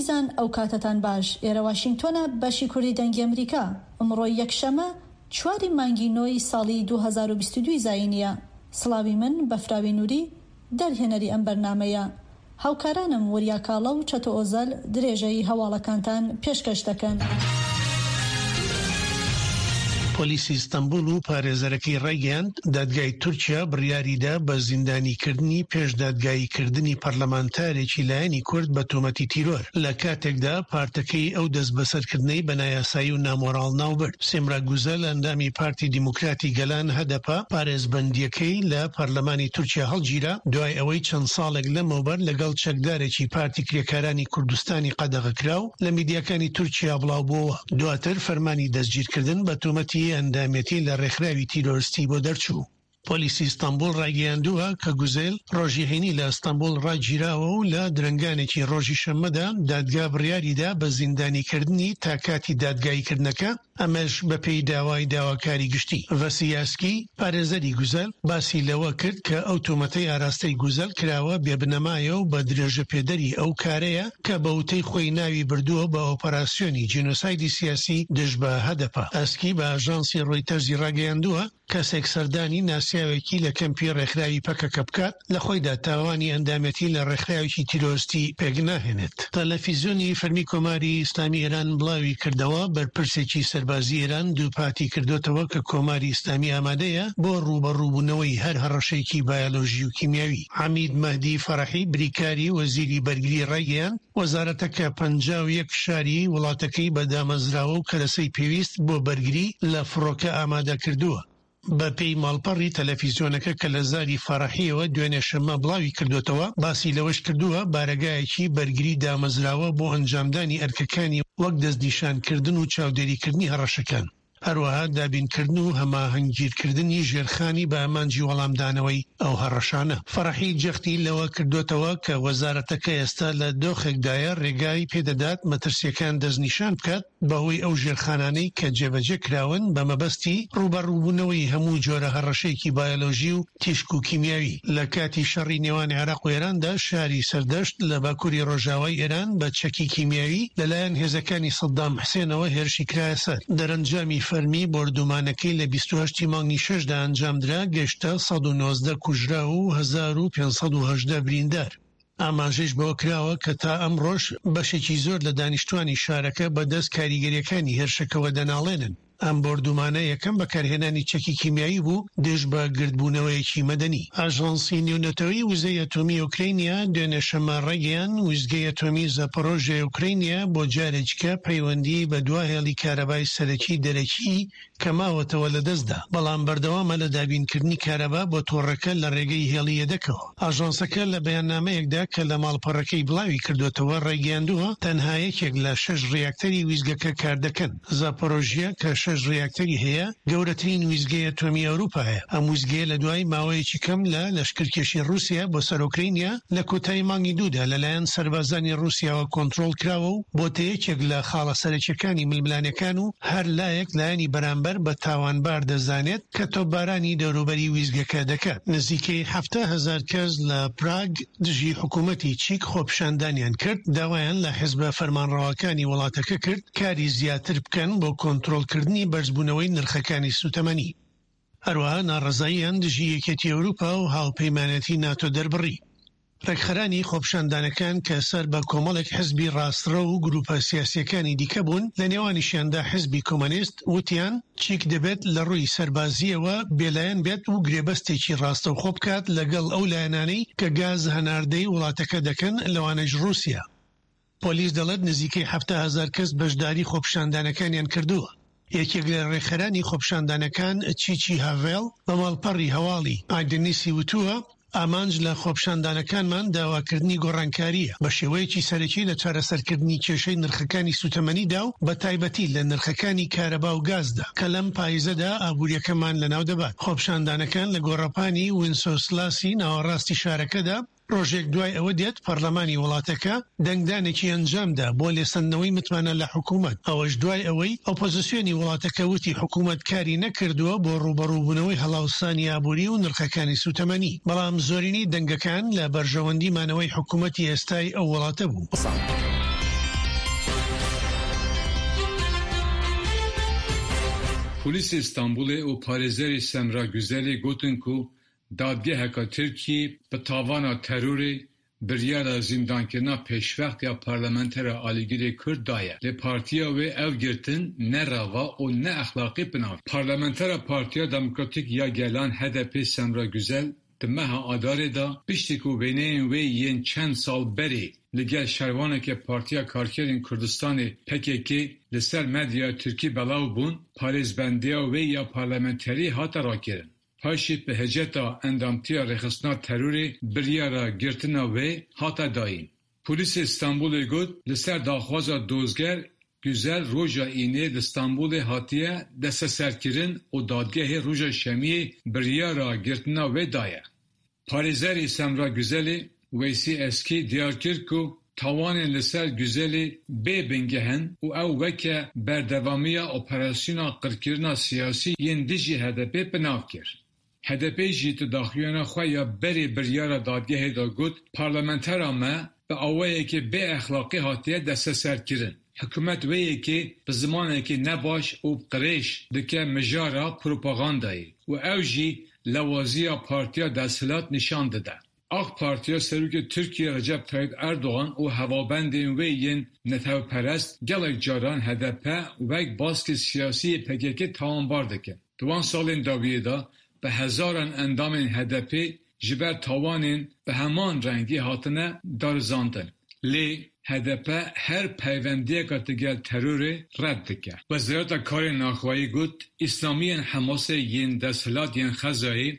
ئازیزان ئەو کاتەتان باش ئێرە واشینگتۆنە بەشی کوردی دەنگی ئەمریکا ئمڕۆ یەکشەمە چواری مانگی نۆی ساڵی 2022 زایینیە سڵاوی من بەفراوی نوری دەرهێنەری ئەم بەرنامەیە هاوکارانم وریا کاڵە و چەتۆ ئۆزەل درێژەی هەواڵەکانتان پێشکەش دەکەن. پۆلیسی ئیستەنبوڵ و پارێزەرەکەی ڕایگەیاند، دادگای تورکیا بڕیاریدا بە زیندانیکردنی پێش دادگاییکردنی پەرلەمانتارێکی لایەنی کورد بە تۆمەتی تیرۆر، لە کاتێکدا پارتەکەی ئەو دەستبەسەرکردنەی بە نایاسایی و نامۆراڵ ناوبرد. سێمرا گوزەل، ئەندامی پارتی دیموکراتی گەلان، هەدەپە، پارێزبەندییەکەی لە پەرلەمانی تورکیا هەڵگیرا، دوای ئەوەی چەند ساڵێک لەمەوبەر لەگەڵ چەکدارێکی پارتی کرێکارانی کوردستانی قەدەغەکراو لە میدیاکانی تورکیا بڵاوبووەوە. دواتر فەرمانی دەستگیرکردن بە تۆمەتی ئەندامێتی لە ڕێکخراوی تیرۆرستی بۆ دەرچوو. پۆلیسی ئیستەنبوڵ ڕایگەیاندووە کە گوزێل ڕۆژی هەینی لە ئەستەنبوڵ ڕاگیراوە و لە درەنگانێکی ڕۆژی شەممەدا دادگا بڕیاریدا بە زیندانیکردنی تا کاتی دادگاییکردنەکە، ئەمەش بەپێی داوای داواکاری گشتی. ڤەسی یاسکی، پارێزەری گوزەل، باسی لەوە کرد کە ئەو تۆمەتەی ئاراستەی گوزەل کراوە بێبنەمایە و بە درێژەپێدەری ئەو کارەیە کە بە وتەی خۆی ناوی بردووە بە ئۆپەراسیۆنی جینۆسایدی سیاسی دژ بە هەدەپە. ئەسکی بە ئاژانسی ڕۆیتەرزی ڕاگەیاندووە، کەسێک سەردانی ناسیاوێکی لە کەمپی ڕێکخراوی پەکەکە بکات، لە خۆیدا تاوانی ئەندامێتی لە ڕێکخراوێکی تیرۆرستی پێکناهێنێت. تەلەفیزیۆنی فەرمی کۆماری ئیسلامی ئێران بڵاوی کردەوە، بەرپرسێکی سەربازی ئێران دووپاتی کردۆتەوە کە کۆماری ئیسلامی ئامادەیە بۆ ڕووبەڕووبوونەوەی هەر هەڕەشەیەکی بایەلۆژی و کیمیاوی. عەمید مەهدی فەرەحی بریکاری وەزیری بەرگری ڕایگەیاند، وەزارەتەکە 51 شاری وڵاتەکەی بە دامەزراوە و کەرەسەی پێویست بۆ بەرگری لە فڕۆکە ئامادەکردووە. بەپێی ماڵپەڕی تەلەفیزیۆنەکە کە لە زاری فەرەحییەوە دوێنێ شەممە بڵاوی کردووەتەوە، باسی لەوەش کردووە، بارەگایەکی بەرگری دامەزراوە بۆ ئەنجامدانی ئەرکەکانی وەک دەستنیشانکردن و چاودێریکردنی هەڕەشەکان. هەروەها دابینکردن و هەماهەنگیرکردنی ژێرخانی بە ئامانجی وەڵامدانەوەی ئەو هەڕەشانە. فەرەحی جەختی لەوە کردۆتەوە کە وەزارەتەکە ئێستا لە دۆخێکدایە رێگای پێدەدات مەترسییەکان دەستنیشان بکات بەهۆی ئەو ژێرخانانەی کە جێبەجێ کراون بە مەبەستی رووبەڕووبوونەوەی هەموو جۆرە هەڕەشەیەکی بایۆلۆژی و تیشک و کیمیاوی. لە کاتی شەڕی نێوان عێراق و ئێراندا شاری سەردەشت لە باکووری ڕۆژاوای ئێران بە چەکی کیمیاوی لەلایەن هێزەکانی سەدام حسێنەوە هێرشی کرایە سەر. دەرەنجامی فەرمی بۆردومانەکەی لە 28 ی مانگی شەشدا ئەنجامدرا گەشتە 119 کوژراو و 1518 بریندار. ئاماژەیش بەوە کراوە کە تا ئەمڕۆش بەشێکی زۆر لە دانیشتوانی شارەکە بەدەست کاریگەرییەکانی هێرشەکەوە دەناڵێنن. ئەم بۆردومانە یەکەم بەکارهێنانی چەکی کیمیایی بوو دژ بە گردبوونەوەیەکی مەدەنی. ئاژانسی نێونەتەوەیی وزەی ئەتۆمی ئۆکرەینیا دوێنێ شەممە ڕایگەیاند، ویستگەی ئەتۆمی زاپۆرۆژیای ئۆکرەینیا بۆ جارێکیکە پەیوەندیی بە دوا هێڵی کارەبای سەرەکی دەرەکی کە ماوەتەوە لەدەستدا، بەڵام بەردەوامە لە دابینکردنی کارەبا بۆ تۆڕەکە لە ڕێگەی هێڵی یەدەکەوە. ئاژانسەکە لە بەیاننامەیەکدا کە لە ماڵپەڕەکەی بڵاوی کردووەتەوە ڕایگەیاندووە، تەنها یەکێک لە شەش ڕیاکتەری ویستگەکە کاردەکەن. زاپۆرۆژیە کە شەش ڕیاکتەری هەیە، گەورەترین ویستگەی ئەتۆمی ئەوروپایە. ئەم ویستگەیە لە دوای ماوەیەکی کەم لە لەشکرکێشی ڕووسیا بۆ سەر ئۆکرەینیا لە کۆتایی مانگی دوودا لەلایەن سەربازانی ڕووسیاوە کۆنترۆڵ کراوە و بۆتە یەکێک لە خاڵە سەرەکیەکانی ململانێکان و هەر لایەک لایەنی بەرامبەر بە تاوانبار دەزانێت کە تۆپبارانی دەوروبەری ویستگەکە دەکات. نزیکەی 70,000 کەس لە پراگ دژی حکوومەتی چیک خۆپیشاندانیان کرد، داوایان لە حزبە فەرمانڕەواکانی وڵاتەکە کرد کاری زیاتر بکەن بۆ کۆنترۆڵکردنی بەرزبوونەوەی نرخەکانی سووتەمەنی. هەروەها ناڕەزاییان دژی یەکێتی ئەوروپا و هاوپەیمانێتی ناتۆ دەربڕی. ڕێکخەرانی خۆپیشاندانەکان کە سەر بە کۆمەڵێک حزبی ڕاستڕەو و گروپە سیاسییەکانی دیکە بوون، لە نێوانیشیاندا حزبی کۆمەنیست، وتیان، چیک دەبێت لە ڕووی سەربازییەوە بێلایەن بێت و گرێبەستێکی ڕاستەوخۆ بکات لەگەڵ ئەو لایەنانەی کە گاز هەناردەی وڵاتەکە دەکەن، لەوانەش ڕووسیا. پۆلیس دەڵێت نزیکەی 70,000 کەس بەشداری خۆپیشاندانەکانیان کردووە. یەکێک لە ڕێکخەرانی خۆپیشاندانەکان چیچی هاڤێڵ بە ماڵپەڕی هەواڵی ئایدنیسی وتووە، ئامانج لە خۆپیشاندانەکانمان داواکردنی گۆڕانکارییە بە شێوەیەکی سەرەکی لە چارەسەرکردنی کێشەی نرخەکانی سوتەمەنیدا و بە تایبەتی لە نرخەکانی کارەبا و گازدا کە لەم پایزەدا ئابووریەکەمان لەناو دەبات. خۆپیشاندانەکان لە گۆڕەپانی وینسۆسلاسی ناوەڕاستی شارەکەدا ڕۆژێک دوای ئەوە دێت پەرلەمانی وڵاتەکە دەنگدانێکی ئەنجامدا بۆ لێسەندنەوەی متمانە لە حکومەت، ئەوەش دوای ئەوەی ئۆپۆزسیۆنی وڵاتەکە وتی حکومەت کاری نەکردووە بۆ ڕووبەڕووبوونەوەی هەڵاوسانی ئابووری و نرخەکانی سووتەمەنی، بەڵام زۆرینەی دەنگەکان لە بەرژەوەندی مانەوەی حکومەتی ئێستای ئەو وڵاتە بوو. Polîsê Stenbolê û parêzerê Semra Guzelê gotin ku dadgeheka Tirkiyê bi tavana terorê biryara zîndankirina pêşwext ya parlamentera alîgirê Kurd daye. Lê partiya wê ev girtin ne reva û ne exlaqî binav. Parlamentera Partiya Demokratîk ya Gelan HDP Semra Guzel di meha Adarê de piştî ku wêneyên wê yên çend sal berê li gel şervaneke Partiya Karkerên Kurdistanê pkk li ser medyaya Tirkî belav bûn, parêzbendiya wê ya parlamenterî hate rakirin. Paşê bi heceta endamtiya rêxistina terorê biryara girtina wê hate dayîn. Polîsê Stenbolê got, li ser daxwaza dozger Guzel roja Înê li Stenbolê hatiye desteserkirin û dadgehê roja Şemiyê biryara girtina wê daye. Parêzerê Semra Guzelê, Weysî Eskî diyar kir ku tawanên li ser Guzelê bê bingeh in û ew weke berdevamiya operasyona qirkirina siyasî yên dijî HDP'ê binav kir. HDP'ê jî di daxuyana xwe ya berê biryara dadgehê de got, Parlamentera me bi awayekî bêexlaqî hatiye desteserkirin. Hikûmet wê yekê bi zimanekî nebaş û qirêj dike mijara propagandayê û ew jî lewaziya partiya desthilat nîşan dide. AK Partiya Serokê Tirkiyê Recep Tayyip Erdogan û hevalbendên wê yên netewperest gelek caran HDP wek baskê siyasî yê PKK'ê tawanbar dikin. Di wan salên dawiyê de bi hezaran endamên HDP'ê ji ber tawanên bi heman rengî hatine darizandin. Lê HDP her peywendiyeke digel terorê red dike. Wezareta Karên Navxweyî got, Îslamiyên Hemasê yên desthilat yên Xezayê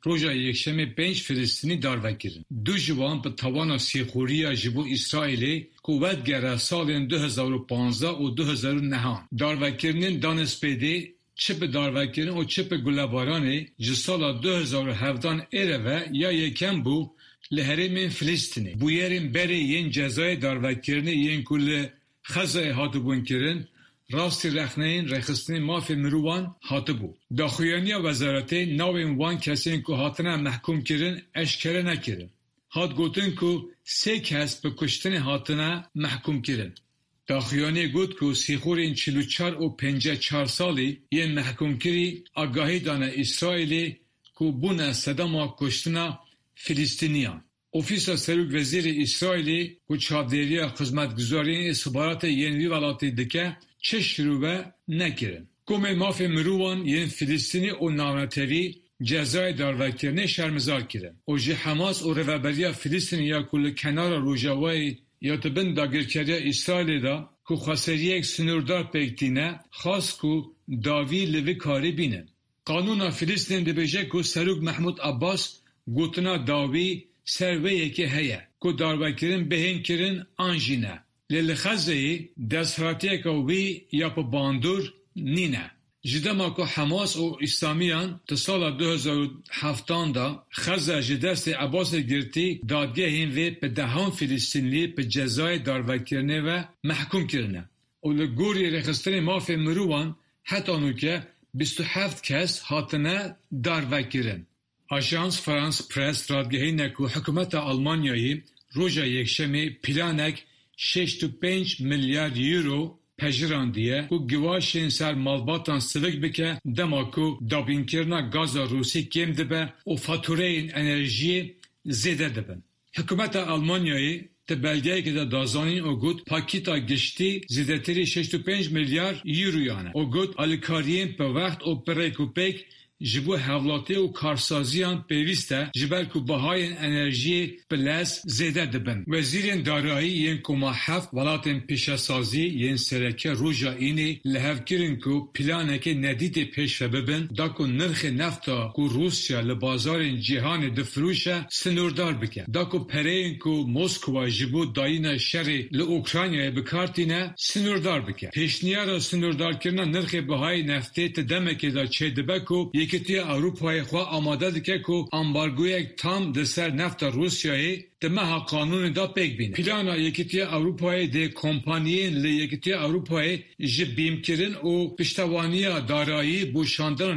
Roja Yekşemê pênc Filistînî darve kirin. Du ji wan bi tawana sîxûriya ji bo Îsraîlê ku vedigere salên 2015 û 2009 an. Darvekirinên danê spêdê çi bi darvekirin û çi bi gulebaranê ji sala 2017 êre ve ya yekem bû li herêmên Filistînê. Bûyerên berê yên cezayê darvekirinê yên ku li Xezayê hatibûn kirin, rastî rexneyên rêxistinên mafê mirovan hatibû. Daxuyaniya wezaretê navên wan kesên ku hatine mehkûmkirin eşkere nekirin. Hat gotin ku sê kes bi kuştinê hatine mehkûmkirin. Daxuyaniyê got ku sîxûrên 44 û 54 salî yên mehkûmkirî agahî dane Îsraîlê ku bûne sedema kuştina Filistîniyan. Ofîsa Serokwezîrê Îsraîlê ku çavdêriya xizmetguzariyên îstixbaratê yên vî welatî dike, çi şirove nekirin. Komên mafê mirovan yên Filistînî û navnetewî cezayê darvekirinê şermezar kirin û ji Hemas û rêveberiya Filistînê ya ku li kenara Rojavayê ya di bin dagirkeriya Îsraîlê de ku xweseriyek sinûrdar pêk tîne, xwest ku dawî li vî karî bînin. Qanûna Filistînê dibêje ku Serok Mehmûd Abbas gotina dawî ser wê yekê heye ku darvekirin bihên kirin an jî ne. Lê li Xezzeyê desthilatiyeke wî ya bi bandor nîne. Ji dema ku Hemas û Îslamiyan di sala 2007an de Xezze ji destê Abbasê girtî dadgehên vê bi dehan Filistînlî bi cezayê darvekirinê ve mehkûm kirine û li gorî rêxistinên mafê mirovan heta nûke 27 kes hatine darvekirin. Ajans France Press radigihîne ku hikûmeta Almanyayê roja Yekşemê planek 65 milyar euro pejirandiye ku giwaşên ser malbatan sivik bike dema ku dabînkirina gaza Rûsî kêm dibe û fatûreyên enerjiyê zêde dibin. Hikûmeta Almanyayê di belgeyekê de da zanîn û got pakîta giştî zêdetirî 65 milyar euroyan e û got alîkariyên bi wext û bi rêk û pêk ji bo hevlatî û karsaziyan pêwîst e ji ber ku bihayên enerjiyê bi lez zêde dibin. Wezîrên darayî yên Koma Heft welatên pîşesazî yên sereke roja Înê li hev kirin ku planekê nedîtê pêş ve bibin da ku nirxê nefta ku Rûsya li bazarên cîhanê difirûşe sinûrdar bike da ku pereyên ku Moskova ji bo dayîna şerê li Ukraynayê bi kar tîne sinûrdar bike. Pêşniyara sinûrdarkirina nirxê bihayê neftê di demekê de çêdibe ku Yekîtiya Ewropayê xwe amade dike ku ambargoyek tam di ser nefta Rûsyayê di meha Kanûnê de pêk bîne. Plana Yekîtiya Ewropayê dê kompaniyên li Yekîtiya Ewropayê ji bîmkirin û piştewaniya darayî bo şandina.